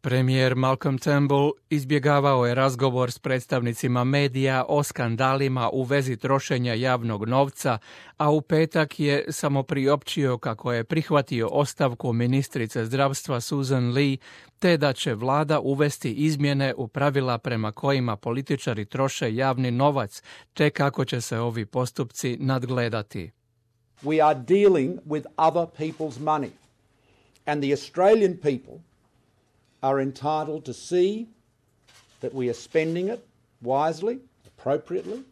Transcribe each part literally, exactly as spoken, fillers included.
Premijer Malcolm Turnbull izbjegavao je razgovor s predstavnicima medija o skandalima u vezi trošenja javnog novca, a u petak je samo priopćio kako je prihvatio ostavku ministrice zdravstva Susan Lee, te da će vlada uvesti izmjene u pravila prema kojima političari troše javni novac, te kako će se ovi postupci nadgledati. We are dealing with other people's money, and the Australian people are entitled to see that we are spending it wisely, appropriately,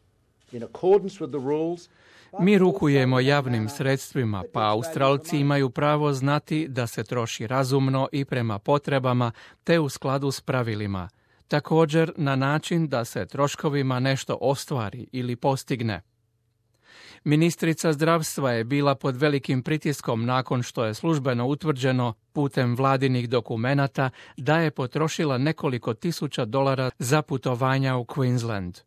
in accordance with the rules. Mi rukujemo javnim sredstvima, pa Australci imaju pravo znati da se troši razumno i prema potrebama, te u skladu s pravilima. Također na način da se troškovima nešto ostvari ili postigne. Ministrica zdravstva je bila pod velikim pritiskom nakon što je službeno utvrđeno putem vladinih dokumenata da je potrošila nekoliko tisuća dolara za putovanja u Queensland.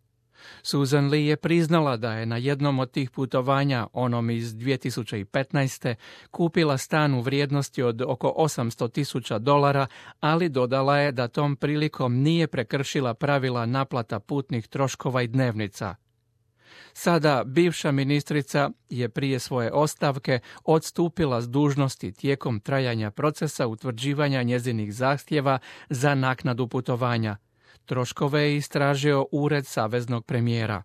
Susan Lee je priznala da je na jednom od tih putovanja, onom iz dvije tisuće petnaeste. kupila stan u vrijednosti od oko osamsto tisuća dolara, ali dodala je da tom prilikom nije prekršila pravila naplata putnih troškova i dnevnica. Sada bivša ministrica je prije svoje ostavke odstupila s dužnosti tijekom trajanja procesa utvrđivanja njezinih zahtjeva za naknadu putovanja. Troškove je istražio ured saveznog premijera.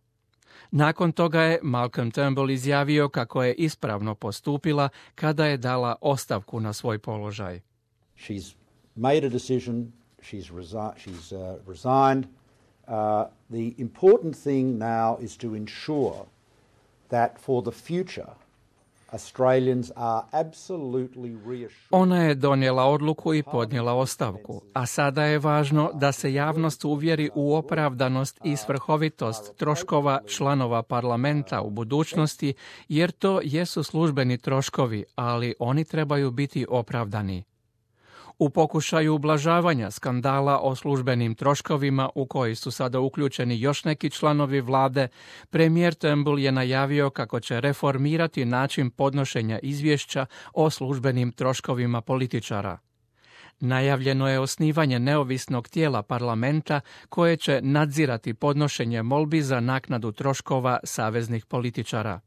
Nakon toga je Malcolm Turnbull izjavio kako je ispravno postupila kada je dala ostavku na svoj položaj. She's made a decision, she's, resi- she's uh, resigned. Uh, the important thing now is to ensure that for the future Australians are absolutely reassured. Ona je donijela odluku i podnijela ostavku, a sada je važno da se javnost uvjeri u opravdanost i svrhovitost troškova članova parlamenta u budućnosti, jer to jesu službeni troškovi, ali oni trebaju biti opravdani. U pokušaju ublažavanja skandala o službenim troškovima u koji su sada uključeni još neki članovi vlade, premijer Turnbull je najavio kako će reformirati način podnošenja izvješća o službenim troškovima političara. Najavljeno je osnivanje neovisnog tijela parlamenta koje će nadzirati podnošenje molbi za naknadu troškova saveznih političara.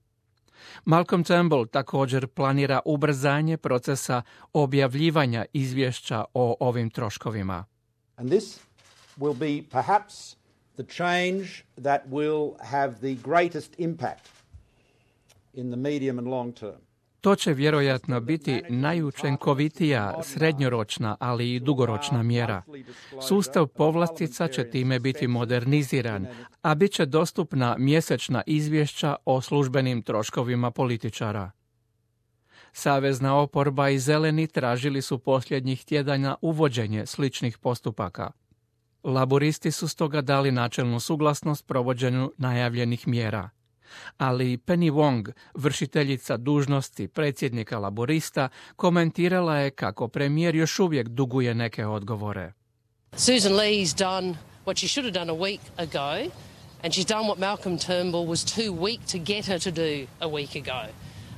Malcolm Turnbull također planira ubrzanje procesa objavljivanja izvješća o ovim troškovima. And this will be perhaps the change that will have the greatest impact in the medium and long term. To će vjerojatno biti najučinkovitija srednjoročna, ali i dugoročna mjera. Sustav povlastica će time biti moderniziran, a bit će dostupna mjesečna izvješća o službenim troškovima političara. Savezna oporba i zeleni tražili su posljednjih tjedana uvođenje sličnih postupaka. Laboristi su stoga dali načelnu suglasnost provođenju najavljenih mjera. Ali Penny Wong, vršiteljica dužnosti predsjednika Laborista, komentirala je kako premijer još uvijek duguje neke odgovore. Susan Lee's done what she should have done a week ago, and she's done what Malcolm Turnbull was too weak to get her to do a week ago.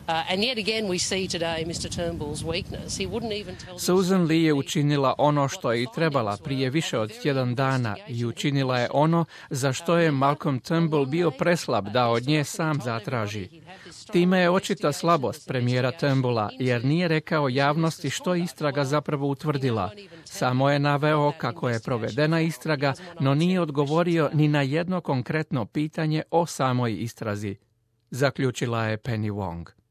Uh, and yet again we see today mister Turnbull's weakness. He wouldn't even tell Susan Lee je učinila ono što je i trebala prije više od tjedan dana i učinila je ono za što je Malcolm Turnbull bio preslab da od nje sam zatraži. Time je očita slabost premijera Turnbulla jer nije rekao javnosti što je istraga zapravo utvrdila. Samo je naveo kako je provedena istraga, no nije odgovorio ni na jedno konkretno pitanje o samoj istrazi, zaključila je Penny Wong.